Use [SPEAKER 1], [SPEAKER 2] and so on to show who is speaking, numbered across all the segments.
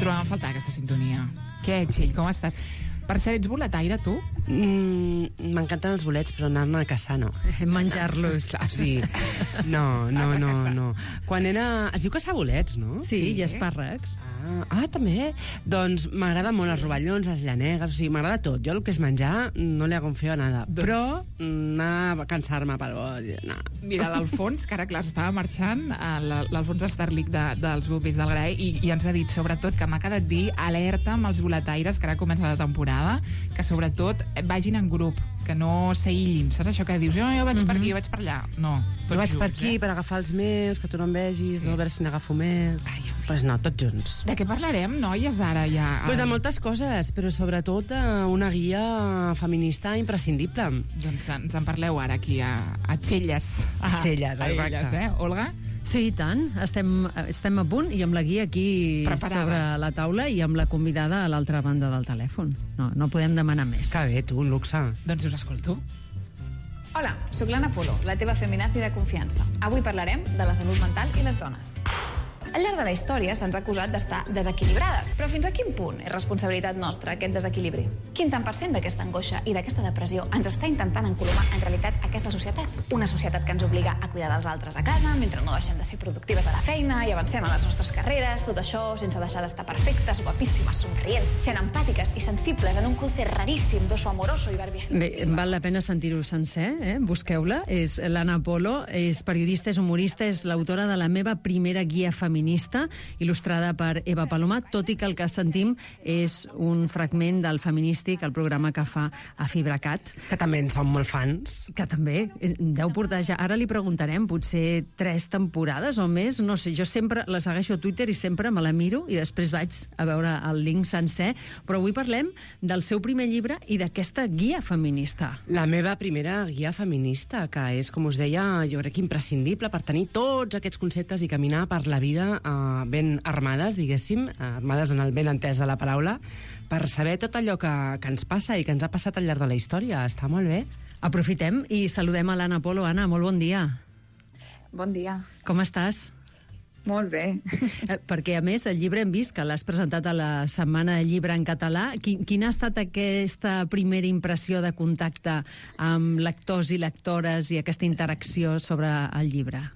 [SPEAKER 1] trobàvem a faltar aquesta sintonia. Què, Txell, com estàs? Per cert, ets boletaire, tu?
[SPEAKER 2] M'encanten els bolets, però anar-ne a caçar no.
[SPEAKER 3] Menjar-los.
[SPEAKER 2] Sí. No. Quan era... Es diu caçar bolets, no?
[SPEAKER 3] Sí, i espàrrecs.
[SPEAKER 2] També. Doncs m'agrada molt els rovellons, les llanegues, o sigui, m'agrada tot. Jo el que és menjar no li hago feo a nada. Però anar a cansar-me pel bol... No.
[SPEAKER 1] Mira, l'Alfons, que ara, clar, estava marxant, l'Alfons Estarlic dels Bubis del Grai, i ens ha dit, sobretot, que m'ha quedat dir alerta amb els boletaires, que ara comença la temporada, que sobretot vagin en grup, que no s'aïllin. Saps això que dius? Jo vaig per aquí, jo vaig per allà. No,
[SPEAKER 2] jo vaig per aquí per agafar els meus, que tu no em vegis, a veure si n'agafo més... Pues no, tots junts.
[SPEAKER 1] De què parlarem, noies, ara ja?
[SPEAKER 2] Pues de moltes coses, però sobretot una guia feminista imprescindible.
[SPEAKER 1] Doncs ens en parleu ara aquí a Txelles.
[SPEAKER 2] A Txelles, exacte.
[SPEAKER 1] Olga?
[SPEAKER 3] Sí, i tant. Estem a punt i amb la guia aquí sobre la taula i amb la convidada a l'altra banda del telèfon. No podem demanar més.
[SPEAKER 2] Que bé, tu, un luxe.
[SPEAKER 1] Doncs us escolto.
[SPEAKER 4] Hola, sóc l'Anna Polo, la teva feminazi de confiança. Avui parlarem de la salut mental i les dones. Al llarg de la història se'ns ha acusat d'estar desequilibrades, però fins a quin punt és responsabilitat nostra aquest desequilibri? Quin tant per cent d'aquesta angoixa i d'aquesta depressió ens està intentant encolomar en realitat aquesta societat? Una societat que ens obliga a cuidar dels altres a casa, mentre no deixem de ser productives a la feina i avancem a les nostres carreres, tot això sense deixar d'estar perfectes, guapíssimes, somrients, sent empàtiques i sensibles en un cruce raríssim d'oso amoroso i Barbie.
[SPEAKER 3] Bé, val la pena sentir-ho sencer, busqueu-la. És l'Anna Polo, és periodista, és humorista, és l'autora de la meva primera guia feminista, il·lustrada per Eva Paloma, tot i que el que sentim és un fragment del Feminístic, el programa que fa a FibraCat.
[SPEAKER 2] Que també en som molt fans.
[SPEAKER 3] Que també deu portar ja... Ara li preguntarem, potser 3 temporades o més, no sé, jo sempre la segueixo a Twitter i sempre me la miro i després vaig a veure el link sencer, però avui parlem del seu primer llibre i d'aquesta guia feminista.
[SPEAKER 2] La meva primera guia feminista, que és, com us deia, jo crec que imprescindible per tenir tots aquests conceptes i caminar per la vida ben armades, diguéssim, armades en el ben entès de la paraula, per saber tot allò que ens passa i que ens ha passat al llarg de la història. Està molt bé.
[SPEAKER 3] Aprofitem i saludem a l'Anna Polo. Anna, molt bon dia.
[SPEAKER 4] Bon dia.
[SPEAKER 3] Com estàs?
[SPEAKER 4] Molt bé.
[SPEAKER 3] Perquè, a més, el llibre hem vist que l'has presentat a la Setmana del Llibre en català. Quina ha estat aquesta primera impressió de contacte amb lectors i lectores i aquesta interacció sobre el llibre?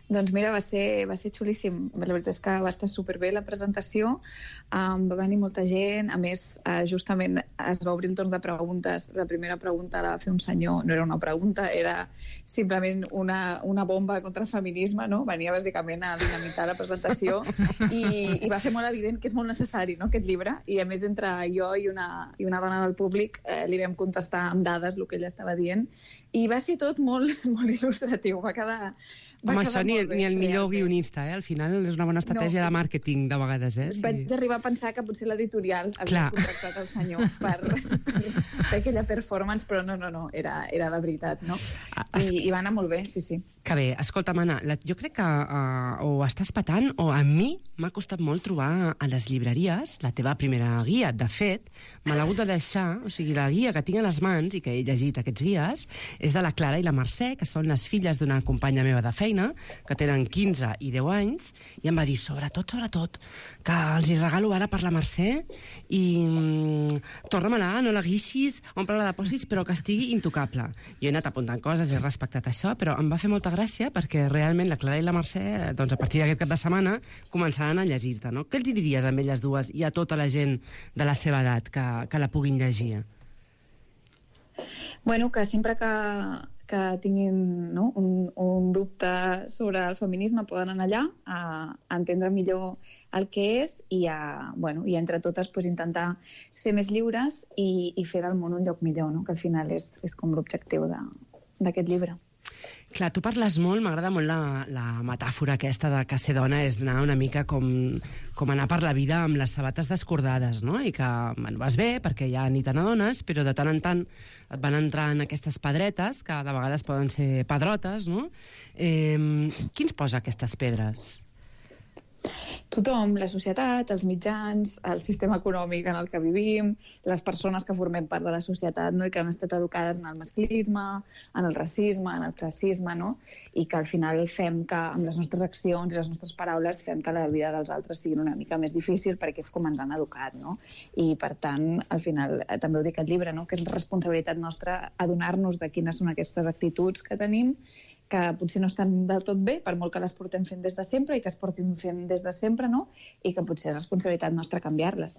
[SPEAKER 4] Doncs mira, va ser xulíssim. La veritat és que va estar superbé la presentació, va venir molta gent, a més, justament es va obrir el torn de preguntes. La primera pregunta la va fer un senyor, no era una pregunta, era simplement una bomba contra el feminisme, no? Venia bàsicament a dinamitar la presentació i va fer molt evident que és molt necessari, no?, aquest llibre, i a més entre jo i una dona del públic li vam contestar amb dades el que ella estava dient, i va ser tot molt, molt il·lustratiu, va quedar...
[SPEAKER 2] Home, això ni el millor guionista, al final és una bona estratègia de màrqueting, de vegades, Sí.
[SPEAKER 4] Vaig arribar a pensar que potser l'editorial havia contractat el senyor per fer aquella performance, però no, era de veritat, no? I va anar molt bé, sí.
[SPEAKER 2] Que bé, escolta'm, Anna, jo crec que o estàs patant o a mi m'ha costat molt trobar a les llibreries la teva primera guia. De fet, me l'ha hagut de deixar, o sigui, la guia que tinc a les mans i que he llegit aquests dies és de la Clara i la Mercè, que són les filles d'una companya meva de feina, que tenen 15 i 10 anys, i em va dir, sobretot, que els hi regalo ara per la Mercè i torna-me-la, no la guixis, omple-la de pòsits, però que estigui intocable. Jo he anat apuntant coses, he respectat això, però em va fer molta gràcia perquè realment la Clara i la Mercè, doncs a partir d'aquest cap de setmana, començaran a llegir-te, no? Què els hi diries a elles dues i a tota la gent de la seva edat que la puguin llegir?
[SPEAKER 4] Bueno, que sempre que tinguin, no, un dubte sobre el feminisme poden anar allà a entendre millor el que és i entre totes pues, intentar ser més lliures i fer del món un lloc millor, no? Que al final és com l'objectiu d'aquest llibre.
[SPEAKER 2] Clar, tu parles molt, m'agrada molt la metàfora aquesta de que ser dona és anar una mica com anar per la vida amb les sabates descordades, no? I que vas bé perquè ja ni te n'adones, però de tant en tant et van entrar en aquestes pedretes, que de vegades poden ser pedrotes, no? Qui ens posa aquestes pedres?
[SPEAKER 4] tothom, la societat, els mitjans, el sistema econòmic en el que vivim, les persones que formem part de la societat, no? I que hem estat educades en el masclisme, en el racisme, en el classisme, no? I que al final fem que, amb les nostres accions i les nostres paraules, fem que la vida dels altres sigui una mica més difícil perquè és com ens han educat, no? I, per tant, al final, també ho dic al llibre, no? Que és responsabilitat nostra adonar-nos de quines són aquestes actituds que tenim, que potser no estan del tot bé, per molt que les portem fent des de sempre i que es portin fent des de sempre, no? I que potser és responsabilitat nostra canviar-les.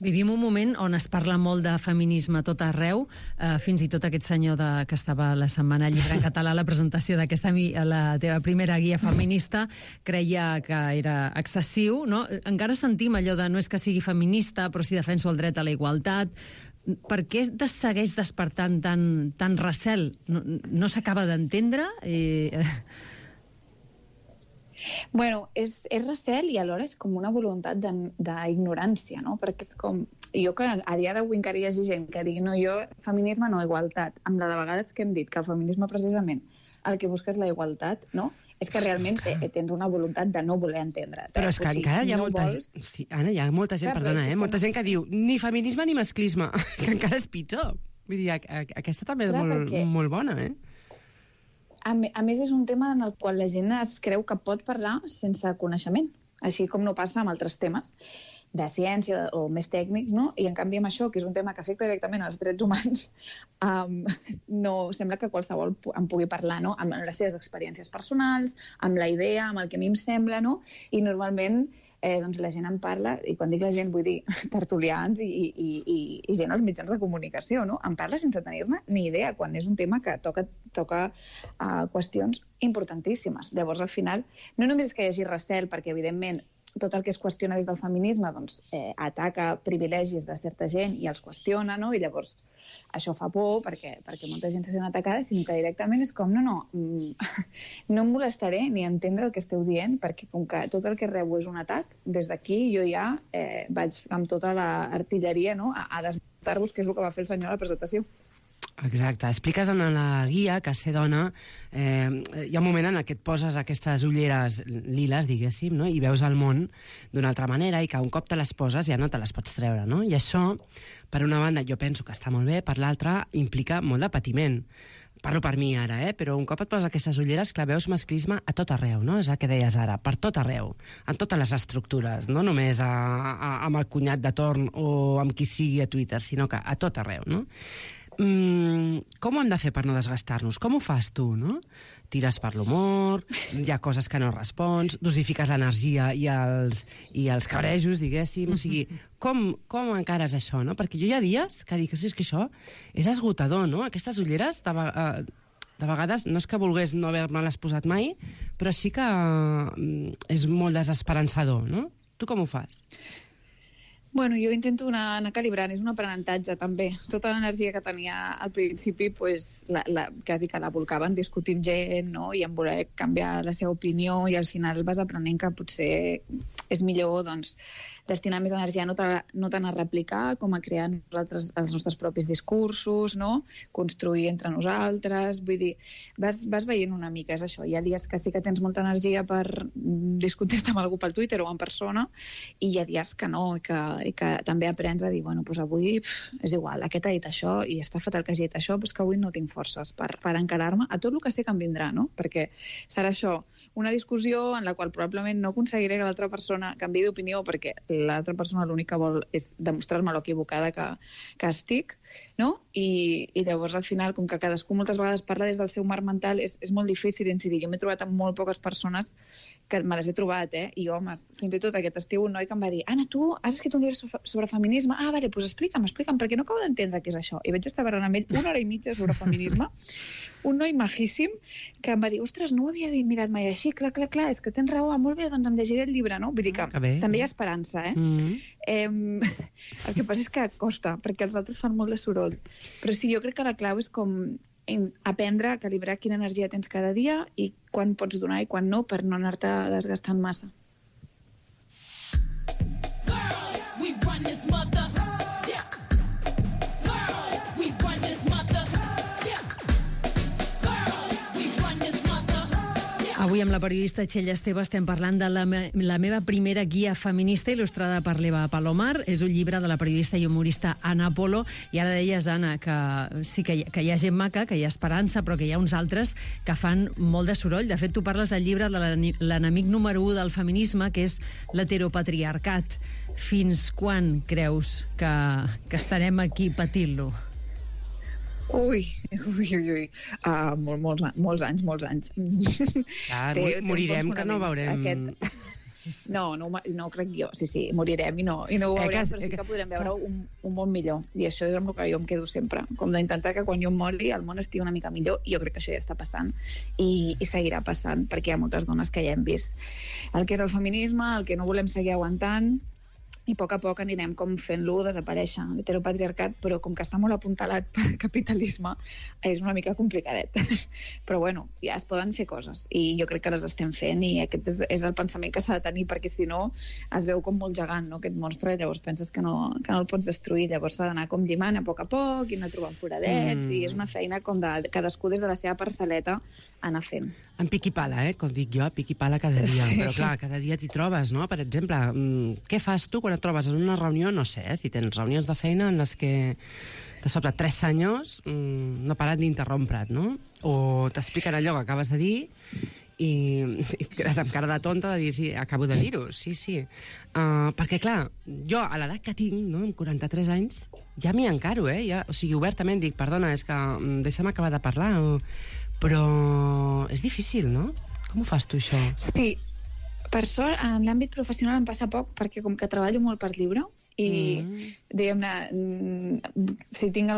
[SPEAKER 3] Vivim un moment on es parla molt de feminisme a tot arreu, fins i tot aquest senyor que estava la setmana al Llibre en Català a la presentació la teva primera guia feminista creia que era excessiu, no? Encara sentim allò de no és que sigui feminista, però sí defenso el dret a la igualtat. Per què segueix despertant tant recel? No s'acaba d'entendre?
[SPEAKER 4] Bueno, és recel i alhora és com una voluntat d'ignorància, no? Perquè és com... Jo que a dia d'avui encara hi hagi gent que digui no, jo, feminisme no, igualtat. Amb la de vegades que hem dit que el feminisme precisament el que busca és la igualtat, no? És que realment tens una voluntat de no voler entendre.
[SPEAKER 2] Però és que encara hi ha molta gent... Sí, Anna, hi ha molta gent, perdona, molta gent que diu ni feminisme ni masclisme, que encara és pitjor. Vull dir, aquesta també és molt bona, eh?
[SPEAKER 4] A més, és un tema en el qual la gent es creu que pot parlar sense coneixement, així com no passa amb altres temes de ciència o més tècnics, no? I en canvi amb això, que és un tema que afecta directament als drets humans, no sembla que qualsevol en pugui parlar, no? Amb les seves experiències personals, amb la idea, amb el que a mi em sembla, no? I normalment doncs la gent en parla, i quan dic la gent vull dir tertulians i gent als mitjans de comunicació, no? En parla sense tenir-ne ni idea, quan és un tema que toca qüestions importantíssimes. Llavors, al final, no només és que hi hagi recel, perquè evidentment tot el que es qüestiona des del feminisme doncs, ataca privilegis de certa gent i els qüestiona, no? I llavors això fa por perquè molta gent se sent atacada, sinó que directament és com, no em molestaré ni entendre el que esteu dient, perquè com que tot el que rebo és un atac, des d'aquí jo ja vaig amb tota l'artilleria, no? A desmuntar-vos, que és el que va fer el senyor a la presentació.
[SPEAKER 2] Exacte. Expliques en la guia que ser dona hi ha un moment en què et poses aquestes ulleres liles, diguéssim, no? I veus el món d'una altra manera i que un cop te les poses ja no te les pots treure, no? I això, per una banda, jo penso que està molt bé, per l'altra, implica molt de patiment. Parlo per mi ara, però un cop et poses aquestes ulleres, clar, veus masclisme a tot arreu, no? És el que deies ara, per tot arreu, en totes les estructures, no només amb el cunyat de torn o amb qui sigui a Twitter, sinó que a tot arreu, no? Com ho hem de fer per no desgastar-nos? Com ho fas tu, no? Tires per l'humor, hi ha coses que no respons, dosifiques l'energia i els cabrejos, diguéssim. O sigui, com encares això, no? Perquè jo hi ha dies que dic, és que això és esgotador, no? Aquestes ulleres, de vegades, no és que volgués no haver-me-les posat mai, però sí que és molt desesperançador, no? Tu com ho fas?
[SPEAKER 4] Bueno, jo intento anar calibrant, és un aprenentatge també. Tota l'energia que tenia al principi, pues, quasi que la volcava en discutir amb gent, no? I en voler canviar la seva opinió, i al final vas aprenent que potser és millor doncs, destinar més energia no tant a replicar com a crear nosaltres els nostres propis discursos, no? Construir entre nosaltres, vull dir, vas veient una mica, és això. Hi ha dies que sí que tens molta energia per discutir-te amb algú pel Twitter o en persona, i hi ha dies que no, i que també aprens a dir, bueno, doncs avui és igual, aquest ha dit això i està fatal que hagi dit això, però és que avui no tinc forces per encarar-me a tot el que sé que em vindrà, no? Perquè serà això, una discussió en la qual probablement no aconseguiré que l'altra persona canviï d'opinió perquè l'altra persona l'únic que vol és demostrar-me l'equivocada que estic, no? I llavors al final, com que cadascú moltes vegades parla des del seu marc mental, és molt difícil incidir. Jo m'he trobat amb molt poques persones que me les he trobat, i homes, fins i tot aquest estiu un noi que em va dir, Anna, tu has escrit un llibre sobre feminisme? Ah, vale, doncs explica'm, perquè no acabo d'entendre què és això. I vaig estar parlant amb ell 1 hora i mitja sobre feminisme, un noi majíssim que em va dir, ostres, no ho havia mirat mai així, clar, és que tens raó, molt bé, doncs em llegiré el llibre, no? Vull dir que també hi ha esperança, El que passa és que costa, perquè els altres fan molt de soroll. Però sí, jo crec que la clau és com aprendre a calibrar quina energia tens cada dia i quan pots donar i quan no, per no anar-te desgastant massa.
[SPEAKER 3] Avui amb la periodista Txell Esteve estem parlant de la meva primera guia feminista il·lustrada per l'Eva Palomar. És un llibre de la periodista i humorista Anna Polo. I ara deies, Anna, que sí que hi ha gent maca, que hi ha esperança, però que hi ha uns altres que fan molt de soroll. De fet, tu parles del llibre de l'enemic número 1 del feminisme, que és l'heteropatriarcat. Fins quan creus que estarem aquí patint-lo?
[SPEAKER 4] Ui. Molts anys.
[SPEAKER 2] Clar, morirem que no veurem...
[SPEAKER 4] No crec jo. Sí, morirem i no ho veurem, però sí que podrem veure un món millor. I això és amb el que jo em quedo sempre. Com d'intentar que quan jo mori el món estigui una mica millor, i jo crec que això ja està passant i seguirà passant, perquè hi ha moltes dones que ja hem vist el que és el feminisme, el que no volem seguir aguantant, i a poc anirem com fent-lo desaparèixer, l'heteropatriarcat, però com que està molt apuntalat pel capitalisme, és una mica complicadet. Però bueno, ja es poden fer coses, i jo crec que les estem fent, i aquest és el pensament que s'ha de tenir, perquè si no es veu com molt gegant, no?, aquest monstre, i llavors penses que no el pots destruir, llavors s'ha d'anar com llimant a poc, i anar trobant foradets, i és una feina com de cadascú des de la seva parcel·leta anar fent.
[SPEAKER 2] En pic i pala, com dic jo, pic i pala cada dia. Però clar, cada dia t'hi trobes, no? Per exemple, què fas tu quan et trobes en una reunió, no sé, si tens reunions de feina en les que de sobte 3 senyors no paren d'interrompre't, no? O t'expliquen allò que acabes de dir i et quedes amb cara de tonta de dir, sí, acabo de dir-ho, sí. Perquè, clar, jo, a l'edat que tinc, no, amb 43 anys, ja m'hi encaro, ja, o sigui, obertament dic, perdona, és que deixa'm acabar de parlar, però és difícil, no? Com ho fas tu, això?
[SPEAKER 4] Sí, per sort, en l'àmbit professional em passa poc, perquè com que treballo molt per lliure, i diguem-ne, si tinc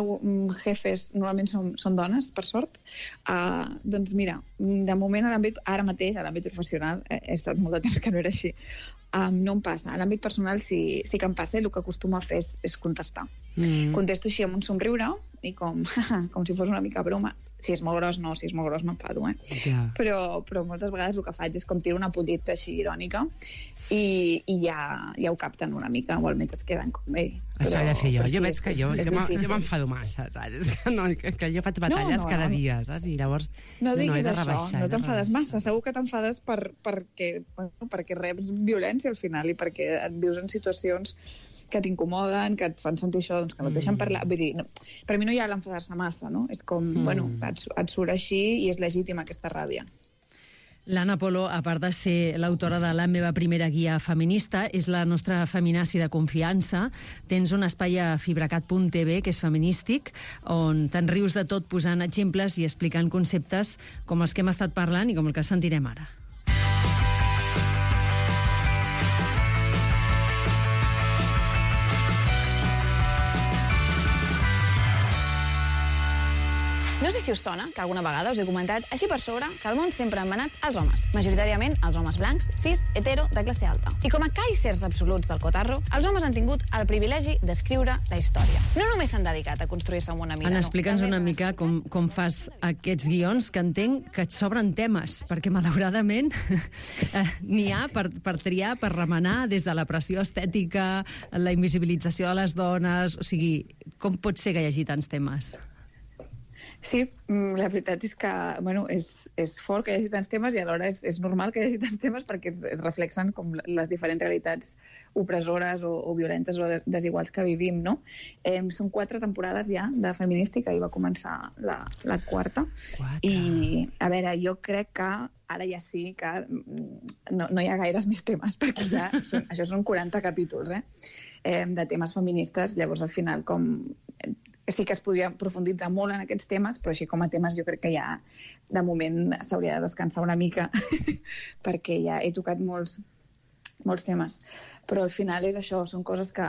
[SPEAKER 4] jefes, normalment són dones, per sort, doncs mira, de moment ara mateix a l'àmbit professional, he estat molt de temps que no era així, no em passa. A l'àmbit personal sí que em passa, i el que acostumo a fer és contestar. Contesto així amb un somriure, i com si fos una mica broma. Si és molt gros, no, si és molt gros m'enfado, Però moltes vegades el que faig és com tiro una puntita així irònica, i ja ho capten una mica, o almenys es queden com ell.
[SPEAKER 2] Això he de fer jo. Jo veig que jo m'enfado massa, saps? Que jo faig batalles cada dia, saps? I llavors
[SPEAKER 4] no diguis això, no t'enfades massa. Segur que t'enfades perquè reps violència al final, i perquè et vius en situacions que t'incomoden, que et fan sentir això, doncs que no et deixen parlar. Vull dir, per mi no hi ha l'enfadar-se massa, no? És com, et surt així i és legítima aquesta ràbia.
[SPEAKER 3] L'Anna Polo, a part de ser l'autora de La meva primera guia feminista, és la nostra feminazi de confiança. Tens un espai a fibracat.tv, que és feminístic, on te'n rius de tot posant exemples i explicant conceptes com els que hem estat parlant i com el que sentirem ara.
[SPEAKER 5] No sé si us sona que alguna vegada us he comentat així per sobre que al món sempre han manat els homes, majoritàriament els homes blancs, cis, hetero, de classe alta. I com a caicers absoluts del cotarro, els homes han tingut el privilegi d'escriure la història. No només s'han dedicat a construir-se un món a mida,
[SPEAKER 3] Anna, explica'ns una mica com fas aquests guions, que entenc que et sobren temes, perquè malauradament n'hi ha per triar, per remenar, des de la pressió estètica, la invisibilització de les dones... O sigui, com pot ser que hi hagi tants temes?
[SPEAKER 4] Sí, la veritat és que és fort que hi hagi tants temes, i alhora és normal que hi hagi tants temes, perquè es reflexen com les diferents realitats opressores o violentes o desiguals que vivim, no? Són 4 temporades ja de Feminística, i va començar la quarta. I, a veure, jo crec que ara ja sí que no hi ha gaires més temes, perquè ja això són 40 capítols de temes feministes. Llavors, al final, sí que es podria profunditzar molt en aquests temes, però així com a temes jo crec que ja de moment s'hauria de descansar una mica perquè ja he tocat molts temes. Però al final és això, són coses que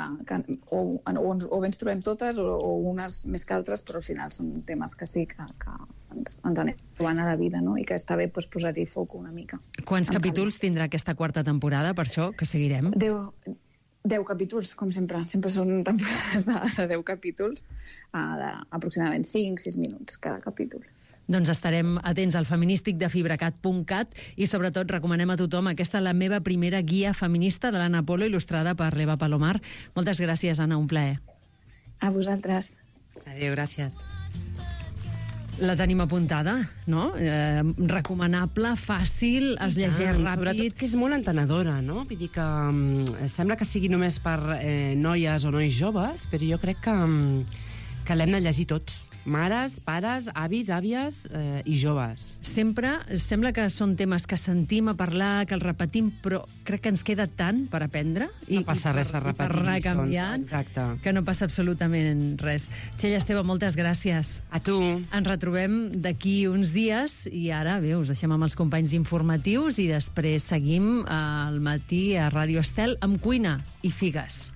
[SPEAKER 4] o bé ens trobem totes o unes més que altres, però al final són temes que sí que ens anem trobant a la vida, no? I que està bé posar-hi foc una mica.
[SPEAKER 3] Quants capítols tindrà aquesta quarta temporada, per això, que seguirem?
[SPEAKER 4] 10 capítols, com sempre. Sempre són temporades de 10 capítols, d'aproximadament 5-6 minuts cada capítol.
[SPEAKER 3] Doncs estarem atents al feminístic de fibracat.cat, i sobretot recomanem a tothom aquesta La meva primera guia feminista, de l'Anna Polo, il·lustrada per l'Eva Palomar. Moltes gràcies, Anna, un plaer.
[SPEAKER 4] A vosaltres.
[SPEAKER 2] Adéu, gràcies.
[SPEAKER 3] La tenim apuntada, no? Recomanable, fàcil, es llegeix ràpid.
[SPEAKER 2] Sobretot que és molt entenedora, no? Vull dir que sembla que sigui només per noies o nois joves, però jo crec que l'hem de llegir tots. Mares, pares, avis, àvies i joves.
[SPEAKER 3] Sempre sembla que són temes que sentim a parlar, que els repetim, però crec que ens queda tant per aprendre
[SPEAKER 2] No passa res per repetir
[SPEAKER 3] per recanviar,
[SPEAKER 2] exacte,
[SPEAKER 3] que no passa absolutament res. Txell Esteve, moltes gràcies.
[SPEAKER 2] A tu.
[SPEAKER 3] Ens retrobem d'aquí uns dies i ara, bé, us deixem amb els companys informatius i després seguim al matí a Ràdio Estel amb cuina i figues.